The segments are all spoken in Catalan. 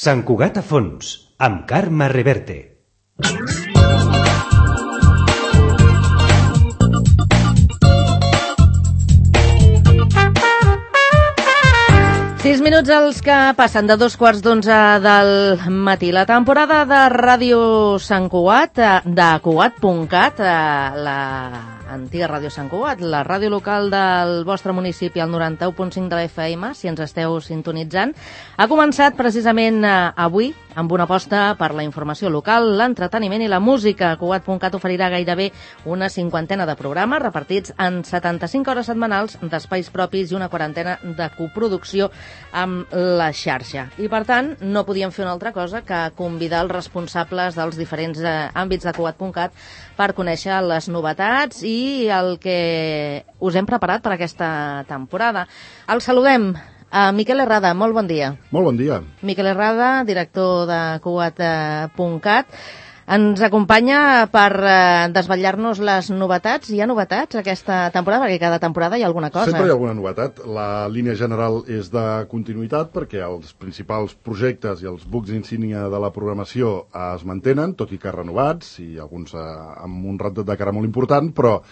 Sant Cugat a fons, amb Carme Reverte. Sis minuts els que passen de 2:15 del matí. La temporada de Ràdio Sant Cugat, de Cugat.cat, la antiga Ràdio Sant Cugat, la ràdio local del vostre municipi, al 91.5 de la FM, si ens esteu sintonitzant, ha començat precisament avui amb una aposta per la informació local, l'entreteniment i la música. Cugat.cat oferirà gairebé una cinquantena de programes repartits en 75 hores setmanals d'espais propis i una quarantena de coproducció amb la xarxa. I, per tant, no podíem fer una altra cosa que convidar els responsables dels diferents àmbits de Cugat.cat per conèixer les novetats i el que us hem preparat per aquesta temporada. El saludem. Miquel Herrada, molt bon dia. Molt bon dia. Miquel Herrada, director de Cugat.cat. Ens acompanya per desvetllar-nos les novetats. Hi ha novetats aquesta temporada? Perquè cada temporada hi ha alguna cosa. Sempre hi ha alguna novetat. La línia general és de continuïtat perquè els principals projectes i els bucs insígnia de la programació es mantenen, tot i que renovats, i alguns amb un rat de cara molt important, però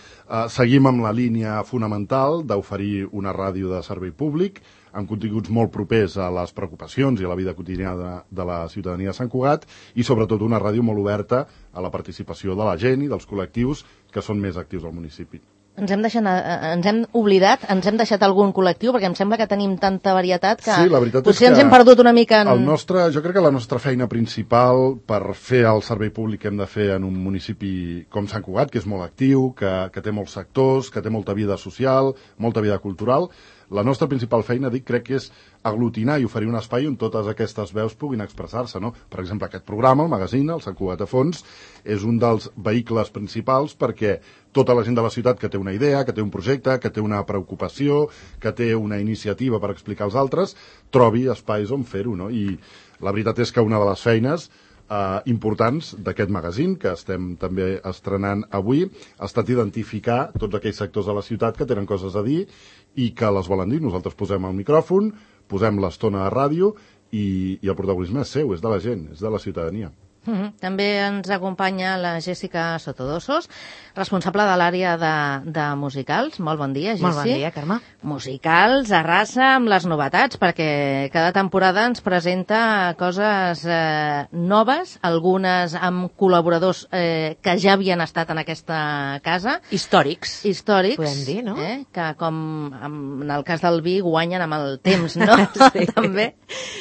seguim amb la línia fonamental d'oferir una ràdio de servei públic amb continguts molt propers a les preocupacions i a la vida quotidiana de la ciutadania de Sant Cugat i sobretot una ràdio molt oberta a la participació de la gent i dels col·lectius que són més actius al municipi. Ens hem oblidat, ens hem deixat algun col·lectiu, perquè em sembla que tenim tanta varietat que sí, la veritat potser és que ens hem perdut una mica en... Jo crec que la nostra feina principal per fer el servei públic que hem de fer en un municipi com Sant Cugat, que és molt actiu, que té molts sectors, que té molta vida social, molta vida cultural. La nostra principal feina, crec que és aglutinar i oferir un espai on totes aquestes veus puguin expressar-se, no? Per exemple, aquest programa, el magazine, el Sant Cugat a fons, és un dels vehicles principals perquè tota la gent de la ciutat que té una idea, que té un projecte, que té una preocupació, que té una iniciativa per explicar als altres, trobi espais on fer-ho, no? I la veritat és que una de les feines importants d'aquest magazine, que estem també estrenant avui, ha estat identificar tots aquells sectors de la ciutat que tenen coses a dir i que les volen dir. Nosaltres posem el micròfon, posem l'estona de ràdio i el protagonisme és seu, és de la gent, és de la ciutadania. També ens acompanya la Jèssica Sotodosos, responsable de l'àrea de musicals. Molt bon dia, Jessi. Molt bon dia, Carme. Musicals, arrasa amb les novetats, perquè cada temporada ens presenta coses noves, algunes amb col·laboradors que ja havien estat en aquesta casa. Històrics. Podem dir, no? Que com en el cas del vi guanyen amb el temps, no? Sí. També.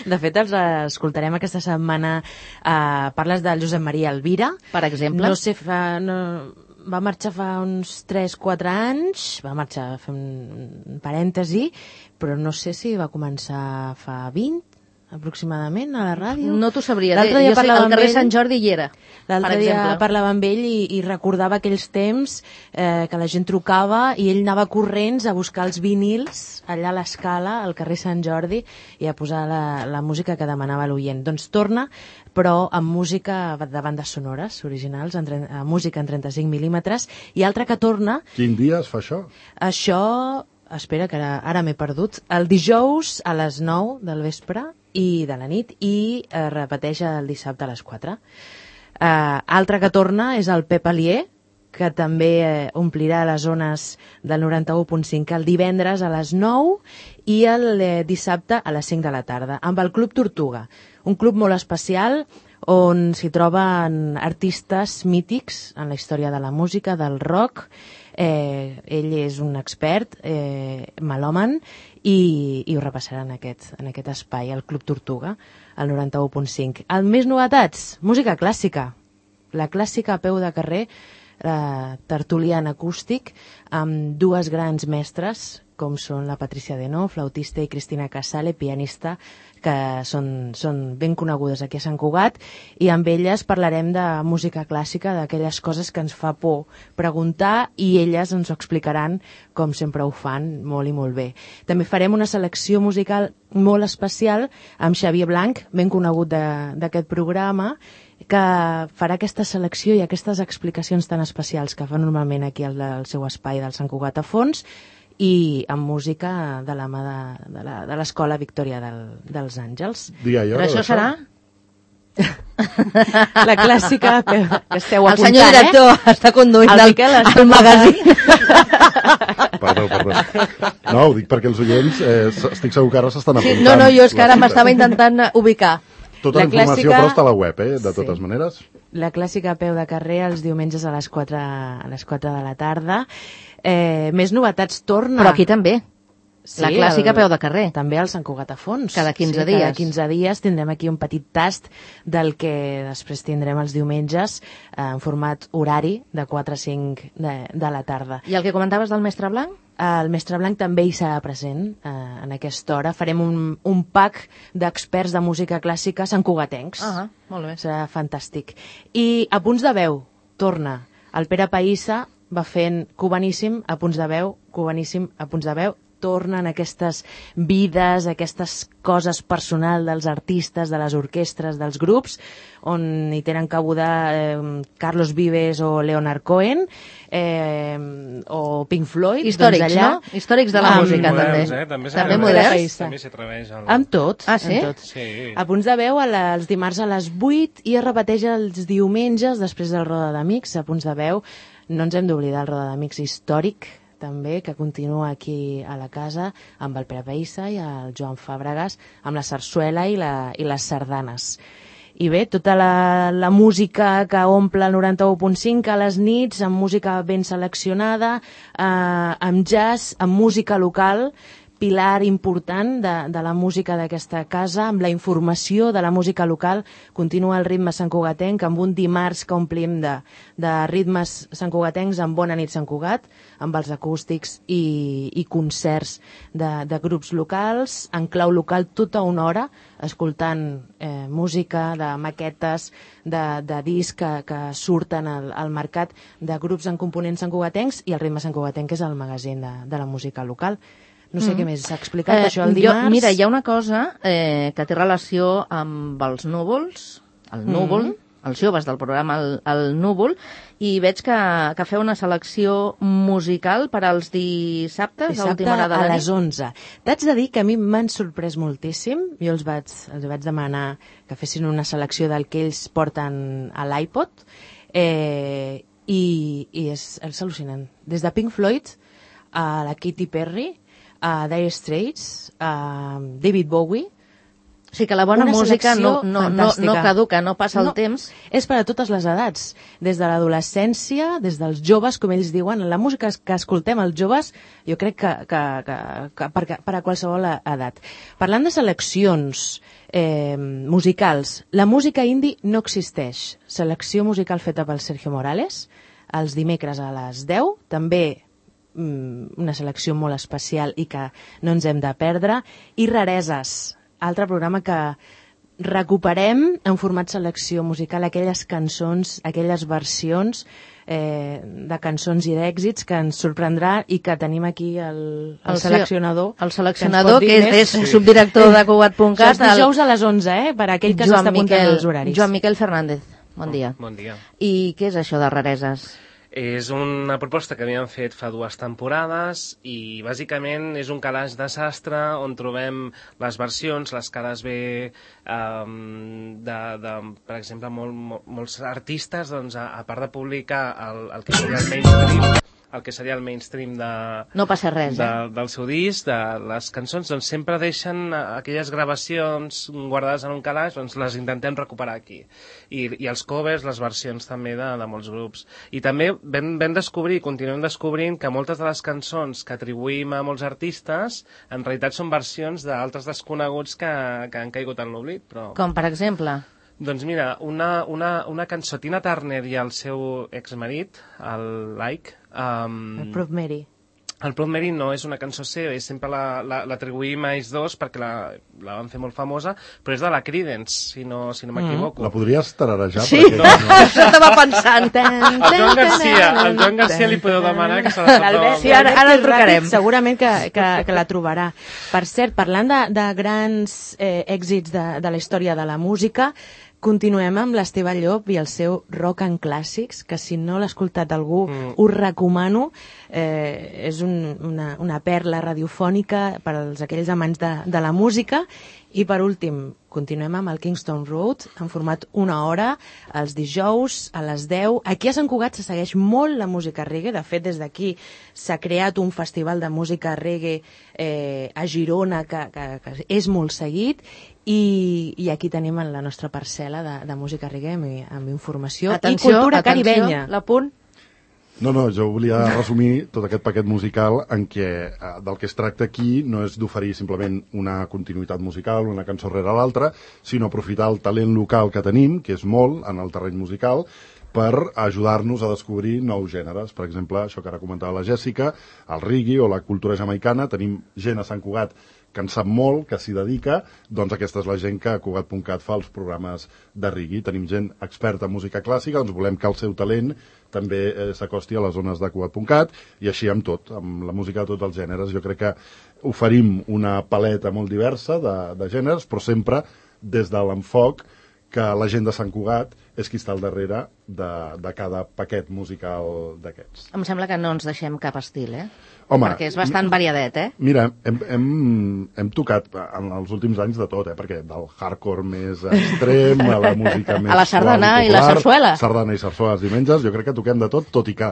De fet, els escoltarem aquesta setmana. Parles del Josep Maria Elvira. Per exemple. No sé, va marxar fa uns 3-4 anys, va marxar, fem un parèntesi, però no sé si va començar fa 20, aproximadament, a la ràdio. No t'ho sabria dir. Jo sé, al carrer Sant Jordi hi era, l'altre dia parlava amb ell i recordava aquells temps que la gent trucava i ell anava corrents a buscar els vinils allà a l'Escala, al carrer Sant Jordi, i a posar la música que demanava l'oient. Doncs torna, però amb música de bandes sonores originals, música en 35 mil·límetres, i altra que torna... Quin dia es fa això? Això, espera, que ara m'he perdut, el dijous a les 9 del vespre i de la nit, i repeteix el dissabte a les 4. Altre que torna és el Pep Alier, que també omplirà les zones del 91.5 el divendres a les 9 i el dissabte a les 5 de la tarda, amb el Club Tortuga, un club molt especial on s'hi troben artistes mítics en la història de la música, del rock. Ell és un expert, melòman, i ho repassarà en aquest espai, el Club Tortuga, al 91.5. El més novetats, música clàssica. La clàssica a peu de carrer, tertulià en acústic, amb dues grans mestres, com són la Patricia Denó, flautista, i Cristina Casale, pianista, que són ben conegudes aquí a Sant Cugat, i amb elles parlarem de música clàssica, d'aquelles coses que ens fa por preguntar, i elles ens ho explicaran com sempre ho fan, molt i molt bé. També farem una selecció musical molt especial amb Xavier Blanc, ben conegut d'aquest programa, que farà aquesta selecció i aquestes explicacions tan especials que fa normalment aquí al seu espai del Sant Cugat a fons, i amb música de la mà de l'Escola Victòria dels Àngels. Però això serà La clàssica que esteu apuntant, el senyor director està conduint el magazín. Perdó. No, ho dic perquè els oients estic segur que ara s'estan apuntant. No, jo és que ara m'estava intentant ubicar. Tota la informació però està a la web, de totes maneres. La clàssica a peu de carrer els diumenges a les 4 de la tarda. Més novetats torna. Però aquí també. Sí, la clàssica a peu de carrer. També al Sant Cugat a Fons. Cada 15 dies. Cada 15 dies tindrem aquí un petit tast del que després tindrem els diumenges en format horari de 4 a 5 de la tarda. I el que comentaves del Mestre Blanc? El Mestre Blanc també hi serà present en aquesta hora. Farem un pack d'experts de música clàssica santcugatencs. Molt bé. Serà fantàstic. I a punts de veu, torna. El Pere Païssa va fent cubaníssim a punts de veu, cubaníssim a punts de veu, tornen aquestes vides, aquestes coses personals dels artistes, de les orquestres, dels grups, on hi tenen cabuda Carlos Vives o Leonard Cohen, o Pink Floyd. Històrics, doncs allà, no? Històrics de la música, moderns, també. També moderns. També s'atreveix. Amb tot. Ah, sí? Amb tot. Sí. A punts de veu els dimarts a les 8 i es repeteix els diumenges després del Roda d'Amics. A punts de veu no ens hem d'oblidar el Roda d'Amics històric, també, que continua aquí a la casa amb el Pere Païssa i el Joan Fàbregas, amb la sarsuela i les sardanes. I bé, tota la música que omple el 91.5 a les nits, amb música ben seleccionada, amb jazz, amb música local, pilar important de la música d'aquesta casa, amb la informació de la música local. Continua el ritme santcugatenc amb un dimarts que omplim de ritmes santcugatencs amb Bona nit Sant Cugat, amb els acústics i concerts de grups locals, en clau local tota una hora, escoltant música de maquetes, de discs que surten al mercat de grups en components santcugatencs, i el ritme santcugatenc és el magazín de la música local. No sé què més s'ha explicat, això el dimarts. Mira, hi ha una cosa que té relació amb els núvols, el núvol, els joves del programa el Núvol, i veig que feu una selecció musical per als dissabtes, a última hora de la nit. A les 11. T'haig de dir que a mi m'han sorprès moltíssim. Jo els vaig demanar que fessin una selecció del que ells porten a l'iPod, i és al·lucinant. Des de Pink Floyd a la Katy Perry, a Dire Straits, a David Bowie. O sigui que la bona música no caduca, no passa el temps. És per a totes les edats, des de l'adolescència, des dels joves, com ells diuen. La música que escoltem els joves, jo crec que per a qualsevol edat. Parlant de seleccions musicals, la música indie no existeix. Selecció musical feta pel Sergio Morales, els dimecres a les 10, també una selecció molt especial i que no ens hem de perdre, i Rareses, altre programa que recuperem en format selecció musical, aquelles cançons, aquelles versions de cançons i d'èxits que ens sorprendrà, i que tenim aquí el seleccionador. El seleccionador, que és subdirector de Cugat.cat. Els dijous a les 11, per aquell que s'està apuntant els horaris. Joan Miquel Fernández, bon dia. Bon dia. I què és això de Rareses? És una proposta que havíem fet fa 2 temporades i bàsicament és un calaix de sastre on trobem les versions, les cares B per exemple, molts artistes, doncs, a part de publicar el que seria el mainstream no passa res, del seu disc, de les cançons, doncs sempre deixen aquelles gravacions guardades en un calaix, doncs les intentem recuperar aquí. I els covers, les versions també de molts grups. I també vam descobrir, continuem descobrint, que moltes de les cançons que atribuïm a molts artistes en realitat són versions d'altres desconeguts que han caigut en l'oblit. Com per exemple? Doncs mira, una cançó, Tina Turner i el seu exmarit, el Like... el Proud Mary. El Proud Mary no és una cançó seva, i sempre l'atribuïm a ells dos perquè la van fer molt famosa, però és de la Creedence, si no m'equivoco. La podries tararejar? Sí, això estava pensant. Al Joan Garcia li podeu demanar que se la sap. Sí, ara el trucarem. Segurament que la trobarà. Per cert, parlant de grans èxits de la història de la música, continuem amb l'Esteve Llop i el seu Rock and Clàssics, que si no l'ha escoltat algú us recomano. És una perla radiofònica per als aquells amants de la música. I per últim, continuem amb el Kingston Road, en format 1 hora, els dijous a les 10. Aquí a Sant Cugat se segueix molt la música reggae. De fet, des d'aquí s'ha creat un festival de música reggae a Girona que és molt seguit. I aquí tenim la nostra parcel·la de música reggae amb informació i cultura caribenya. L'apunt. No, jo volia resumir tot aquest paquet musical en què del que es tracta aquí no és d'oferir simplement una continuïtat musical, una cançó rere l'altra, sinó aprofitar el talent local que tenim, que és molt en el terreny musical, per ajudar-nos a descobrir nous gèneres. Per exemple, això que ara comentava la Jèssica, el reggae o la cultura jamaicana. Tenim gent a Sant Cugat que en sap molt, que s'hi dedica, doncs aquesta és la gent que a Cugat.cat fa els programes de reggae. Tenim gent experta en música clàssica, doncs volem que el seu talent també s'acosti a les zones de Cugat.cat, i així amb tot, amb la música de tots els gèneres. Jo crec que oferim una paleta molt diversa de gèneres, però sempre des de l'enfoc que la gent de Sant Cugat és qui està al darrere de cada paquet musical d'aquests. Em sembla que no ens deixem cap estil, Home, perquè és bastant variadet, Mira, hem tocat en els últims anys de tot, perquè del hardcore més extrem a la música més a la sardana popular, i la sarsuela. Sardana i sarsuela els diumenges, jo crec que toquem de tot i que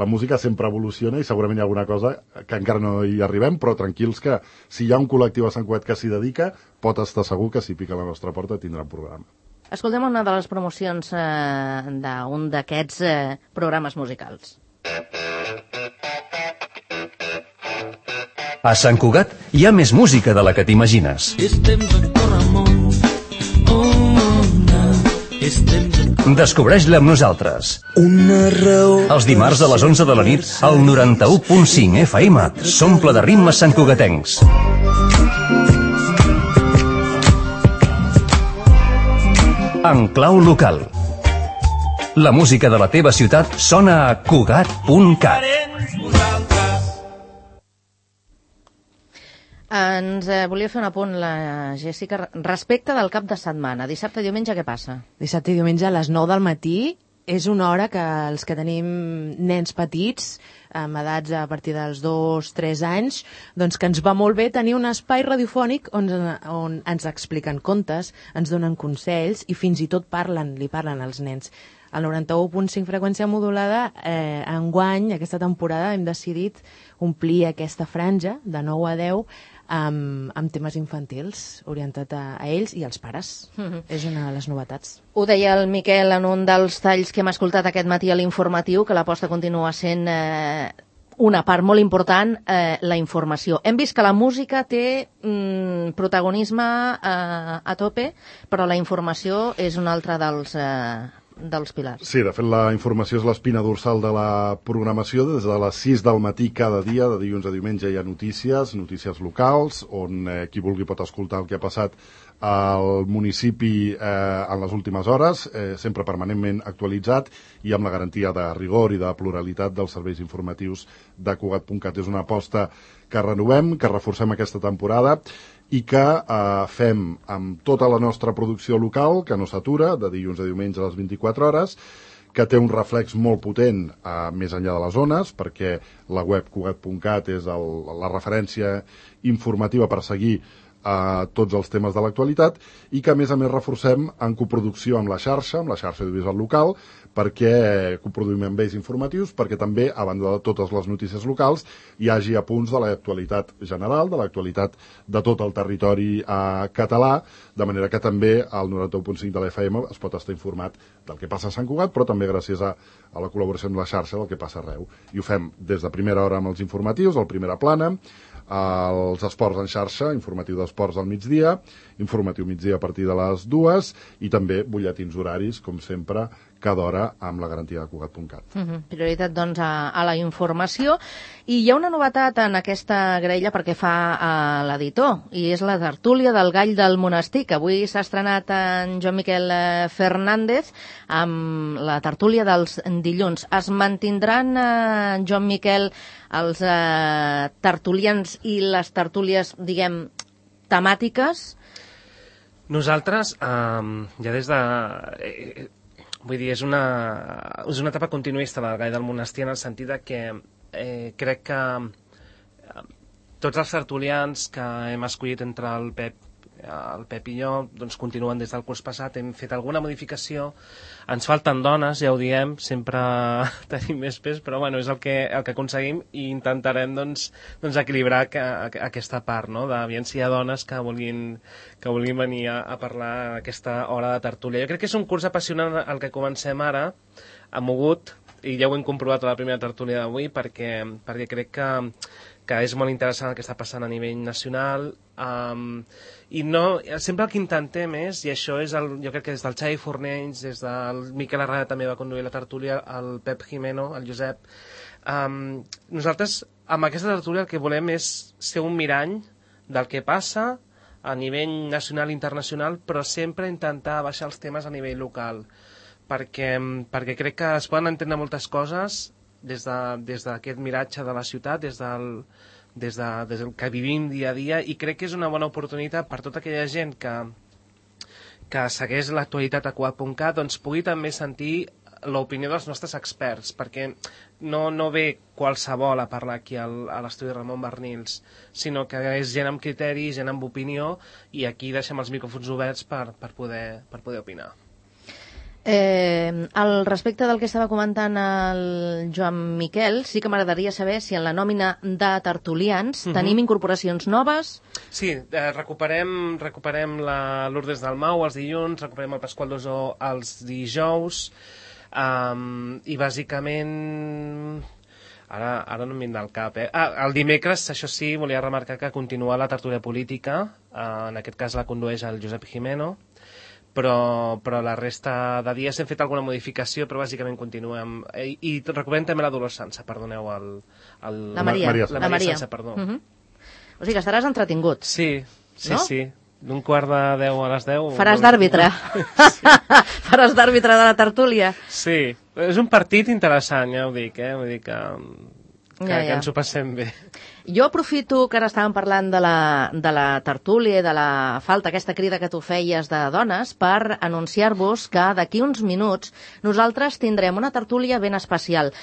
la música sempre evoluciona i segurament hi ha alguna cosa que encara no hi arribem, però tranquils que si hi ha un col·lectiu a Sant Cugat que s'hi dedica, pot estar segur que si pica a la nostra porta tindrà un programa. Escoltem una de les promocions d'un d'aquests programes musicals. A Sant Cugat hi ha més música de la que t'imagines. Descobreix-la amb nosaltres. Els dimarts a les 11 de la nit, al 91.5 FM, s'omple de ritmes santcugatencs. En clau local. La música de la teva ciutat sona a Cugat.cat. Ens volia fer un apunt, la Jèssica, respecte del cap de setmana. Dissabte i diumenge què passa? Dissabte i diumenge a les 9 del matí és una hora que els que tenim nens petits, amb edats a partir dels 2-3 anys, doncs que ens va molt bé tenir un espai radiofònic on ens expliquen contes, ens donen consells i fins i tot li parlen als nens. Al 91.5 freqüència modulada, enguany, aquesta temporada, hem decidit omplir aquesta franja de 9 a 10 amb temes infantils, orientat a ells i als pares. És una de les novetats. Ho deia el Miquel en un dels talls que hem escoltat aquest matí a l'informatiu, que l'aposta continua sent una part molt important, la informació. Hem vist que la música té protagonisme a tope, però la informació és un altre dels pilars. Sí, de fet la informació és l'espina dorsal de la programació. Des de les 6 del matí cada dia, de dilluns a diumenge, hi ha notícies locals, on qui vulgui pot escoltar el que ha passat al municipi en les últimes hores, sempre permanentment actualitzat i amb la garantia de rigor i de pluralitat dels serveis informatius de Cugat.cat. És una aposta que renovem, que reforcem aquesta temporada i que fem amb tota la nostra producció local, que no s'atura, de dilluns a diumenge a les 24 hores, que té un reflex molt potent més enllà de les zones, perquè la web Cugat.cat és la referència informativa per seguir tots els temes de l'actualitat, i que a més reforcem en coproducció amb la xarxa audiovisual local, perquè coproduïm amb ells informatius, perquè també, a banda de totes les notícies locals, hi hagi apunts de l'actualitat general, de l'actualitat de tot el territori català, de manera que també al 91.5 de l'FM es pot estar informat del que passa a Sant Cugat, però també gràcies a la col·laboració amb la xarxa del que passa arreu. I ho fem des de primera hora amb els informatius, al Primera Plana, els esports en xarxa, informatiu d'esports al migdia, informatiu migdia a partir de les 2 i també butlletins horaris, com sempre, cada hora amb la garantia de Cugat.cat. Prioritat, doncs, a la informació. I hi ha una novetat en aquesta graella perquè fa l'editor, i és la tertúlia del Gall del Monestir, que avui s'ha estrenat en Joan Miquel Fernández amb la tertúlia dels dilluns. Es mantindran, Joan Miquel, els tertulians i les tertúlies, diguem, temàtiques? Nosaltres, ja des de... vull dir, és una etapa continuista la Gall del Monestir, en el sentit de que crec que tots els tertulians que hem escollit entre el Pep i jo doncs continuen des del curs passat, hem fet alguna modificació, ens falten dones, ja ho diem, sempre tenim més pes, però bueno, és el que aconseguim i intentarem doncs equilibrar aquesta part, no? D'aviam si hi ha dones que vulguin venir a parlar a aquesta hora de tertúlia. Jo crec que és un curs apassionant el que comencem ara, mogut, i ja ho hem comprovat a la primera tertúlia d'avui, perquè crec que és molt interessant el que està passant a nivell nacional, i no, sempre el que intentem és, i això és jo crec que des del Xavi Fornells, des del Miquel Arrada també va conduir la tertúlia, el Pep Jimeno, el Josep, nosaltres amb aquesta tertúlia el que volem és ser un mirall del que passa a nivell nacional i internacional, però sempre intentar baixar els temes a nivell local, perquè crec que es poden entendre moltes coses des d'aquest miratge de la ciutat, des del que vivim dia a dia, i crec que és una bona oportunitat per tota aquella gent que segueix l'actualitat a Cugat.cat, doncs pugui també sentir l'opinió dels nostres experts, perquè no ve qualsevol a parlar aquí a l'estudi Ramon Barnils, sinó que és gent amb criteri, gent amb opinió, i aquí deixem els micròfons oberts per poder opinar. Al respecte del que estava comentant el Joan Miquel, sí que m'agradaria saber si en la nòmina de tertulians tenim incorporacions noves. Sí, recuperem la Lourdes Dalmau els dilluns, recuperem el Pasqual Dosó els dijous, i bàsicament... Ara no em vindrà al cap, el dimecres, això sí, volia remarcar que continua la tertúlia política, en aquest cas la condueix el Josep Jimeno, però la resta de dies hem fet alguna modificació, però bàsicament continuem. I recuperem també la Dolors Sansa, perdoneu, la Maria Sansa, perdó. O sigui que estaràs entretingut. Sí, no? Sí. D'un 9:15 a les 10... Faràs d'àrbitre. Sí. Faràs d'àrbitre de la tertúlia. Sí, és un partit interessant, ja ho dic, vull dir que ens ho passem bé. Jo aprofito que ara estàvem parlant de la tertúlia i de la falta, aquesta crida que tu feies de dones, per anunciar-vos que d'aquí uns minuts nosaltres tindrem una tertúlia ben especial.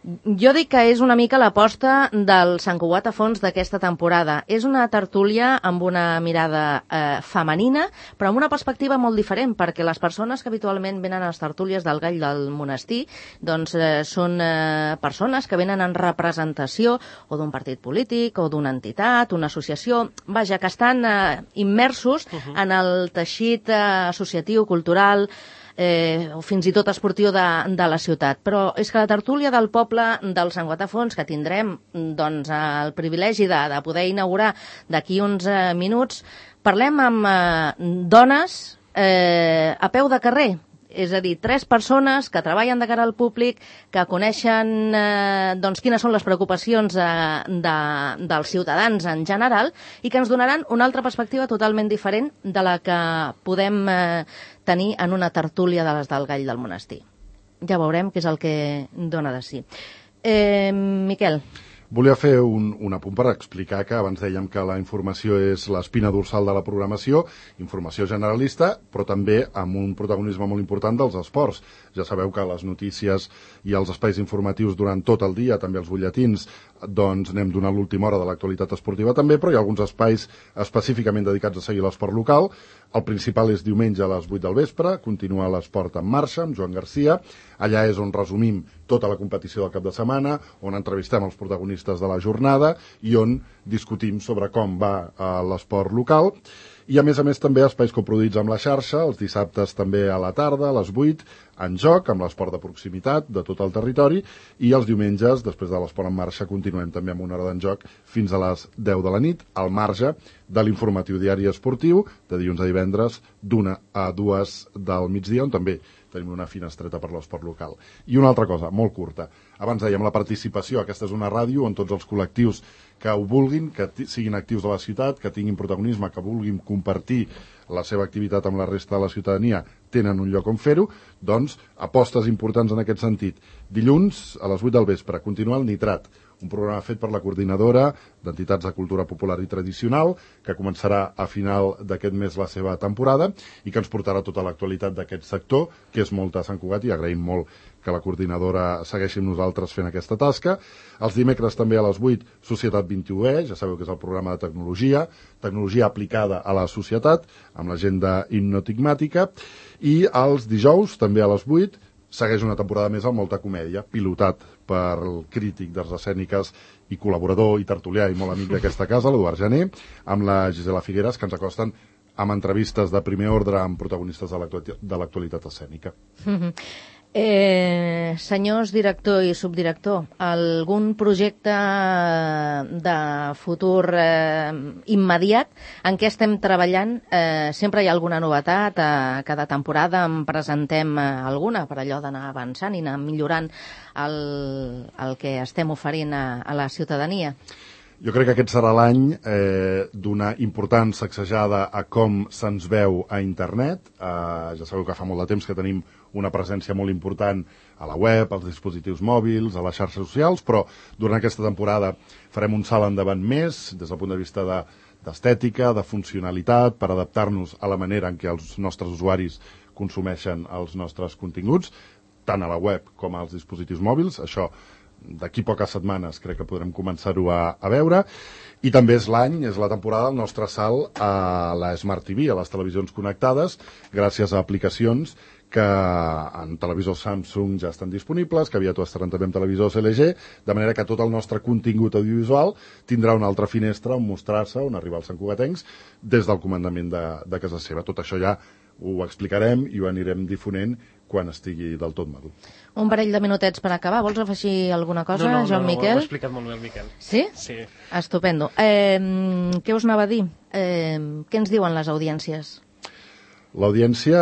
Jo dic que és una mica l'aposta del Sant Cugat a fons d'aquesta temporada. És una tertúlia amb una mirada femenina, però amb una perspectiva molt diferent, perquè les persones que habitualment venen a les tertúlies del Gall del Monestir doncs són persones que venen en representació o d'un partit polític o d'una entitat, una associació, vaja, que estan immersos en el teixit associatiu, cultural, o fins i tot esportiu de la ciutat. Però és que la tertúlia del poble del Sant Cugat a fons, que tindrem doncs, el privilegi de poder inaugurar d'aquí uns minuts, parlem amb dones a peu de carrer. És a dir, 3 persones que treballen de cara al públic, que coneixen doncs, quines són les preocupacions dels ciutadans en general i que ens donaran una altra perspectiva totalment diferent de la que podem tenir en una tertúlia de les del Gall del Monestir. Ja veurem què és el que dona de si. Miquel. Volia fer un apunt per explicar que abans dèiem que la informació és l'espina dorsal de la programació, informació generalista, però també amb un protagonisme molt important dels esports. Ja sabeu que les notícies i els espais informatius durant tot el dia, també els butlletins, doncs anem donant l'última hora de l'actualitat esportiva també, però hi ha alguns espais específicament dedicats a seguir l'esport local. El principal és diumenge a les 8 del vespre, continua l'esport en marxa amb Joan Garcia. Allà és on resumim tota la competició del cap de setmana, on entrevistem els protagonistes de la jornada i on discutim sobre com va l'esport local. I a més també espais coproduïts amb la xarxa, els dissabtes també a la tarda, a les 8, en joc, amb l'esport de proximitat de tot el territori, i els diumenges, després de l'esport en marxa, continuem també amb una hora d'en joc fins a les 10 de la nit, al marge de l'informatiu diari esportiu, de dilluns a divendres, d'1 a 2 del migdia, on també tenim una finestreta per l'esport local. I una altra cosa, molt curta. Abans dèiem la participació, aquesta és una ràdio on tots els col·lectius que ho vulguin, que siguin actius de la ciutat, que tinguin protagonisme, que vulguin compartir la seva activitat amb la resta de la ciutadania, tenen un lloc on fer-ho, doncs apostes importants en aquest sentit. Dilluns, a les 8 del vespre, continua el Nitrat, un programa fet per la coordinadora d'entitats de cultura popular i tradicional, que començarà a final d'aquest mes la seva temporada i que ens portarà tota l'actualitat d'aquest sector, que és molt a Sant Cugat, i agraïm molt que la coordinadora segueixi amb nosaltres fent aquesta tasca. Els dimecres també a les 8, Societat 21E, ja sabeu que és el programa de tecnologia aplicada a la societat, amb l'agenda hipnotigmàtica, i els dijous, també a les 8, segueix una temporada més al Molta Comèdia, pilotat pel crític d'arts escèniques i col·laborador i tertulià i molt amic d'aquesta casa, l'Eduard Jané, amb la Gisela Figueres, que ens acosten amb entrevistes de primer ordre amb protagonistes de l'actualitat escènica. Senyors director i subdirector, algun projecte de futur immediat en què estem treballant? Sempre hi ha alguna novetat, cada temporada en presentem alguna per allò d'anar avançant i anar millorant el que estem oferint a la ciutadania. Jo crec que aquest serà l'any d'una important sacsejada a com se'ns veu a internet. Ja sabeu que fa molt de temps que tenim una presència molt important a la web, als dispositius mòbils, a les xarxes socials, però durant aquesta temporada farem un salt endavant més des del punt de vista d'estètica, de funcionalitat, per adaptar-nos a la manera en què els nostres usuaris consumeixen els nostres continguts, tant a la web com als dispositius mòbils. Això d'aquí poques setmanes crec que podrem començar-ho a veure. I també és l'any, és la temporada del nostre salt a la Smart TV, a les televisions connectades, gràcies a aplicacions que en televisors Samsung ja estan disponibles, que aviat ho estaran també en televisors LG, de manera que tot el nostre contingut audiovisual tindrà una altra finestra on mostrar-se, on arribar als santcugatencs, des del comandament de casa seva. Tot això ja ho explicarem i ho anirem difonent quan estigui del tot madur. Un parell de minutets per acabar. Vols afegir alguna cosa, Joan Miquel? No, ho ha explicat molt bé el Miquel. Sí? Sí. Estupendo. Què us anava a dir? Què ens diuen les audiències? L'audiència,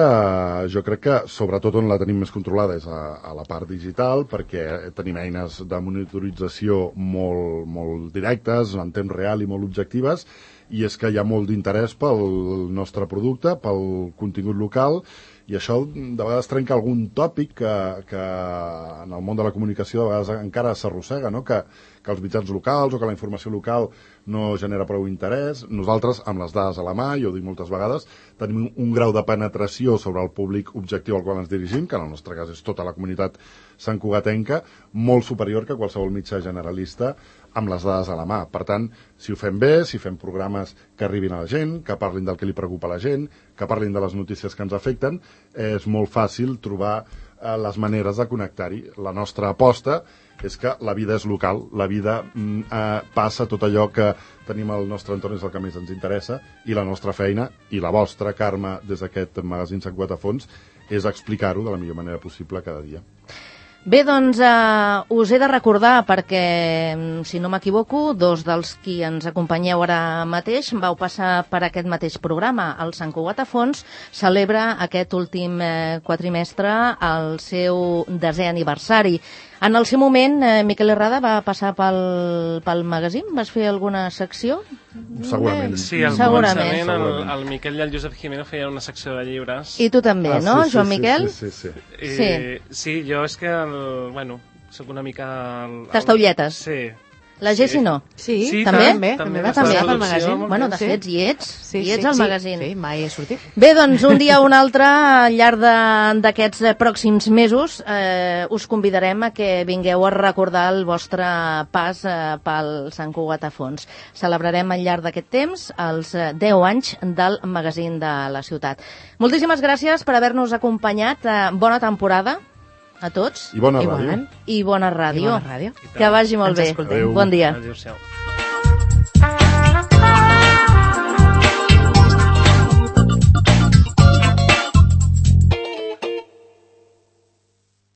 jo crec que sobretot on la tenim més controlada és a la part digital, perquè tenim eines de monitorització molt directes, en temps real i molt objectives, i és que hi ha molt d'interès pel nostre producte, pel contingut local, i això de vegades trenca algun tòpic que en el món de la comunicació de vegades encara s'arrossega, no? Que els mitjans locals o que la informació local no genera prou interès. Nosaltres, amb les dades a la mà, jo ho dic moltes vegades, tenim un grau de penetració sobre el públic objectiu al qual ens dirigim, que en el nostre cas és tota la comunitat santcugatenca, molt superior que qualsevol mitjà generalista amb les dades a la mà. Per tant, si ho fem bé, si fem programes que arribin a la gent, que parlin del que li preocupa a la gent, que parlin de les notícies que ens afecten, és molt fàcil trobar les maneres de connectar-hi. La nostra aposta és que la vida és local, la vida passa, tot allò que tenim al nostre entorn és el que més ens interessa, i la nostra feina, i la vostra, Carme, des d'aquest magazín Sant Cugat a Fons, és explicar-ho de la millor manera possible cada dia. Bé, doncs us he de recordar, perquè, si no m'equivoco, dos dels qui ens acompanyeu ara mateix vau passar per aquest mateix programa. El Sant Cugat a Fons celebra aquest últim quatrimestre el seu 10è aniversari. En el seu moment, Miquel Herrada va passar pel magazín? Vas fer alguna secció? Segurament. Sí, al començament el Miquel i el Josep Jimeno feien una secció de llibres. I tu també, no, Joan Miquel? Sí. Sí, jo és que, soc una mica... Tastaulletes. Sí. La Gessi no. Sí, també va estar al magazín. Bueno, de fet, hi ets al magazín. Sí, mai he sortit. Bé, doncs, un dia o un altre, al llarg d'aquests pròxims mesos, us convidarem a que vingueu a recordar el vostre pas pel Sant Cugat a Fons. Celebrarem al llarg d'aquest temps els 10 anys del magazín de la ciutat. Moltíssimes gràcies per haver-nos acompanyat. Bona temporada a tots. I bona ràdio. I bona ràdio. I bona ràdio. Que vagi molt bé. Adéu. Bon dia. Adéu-siau.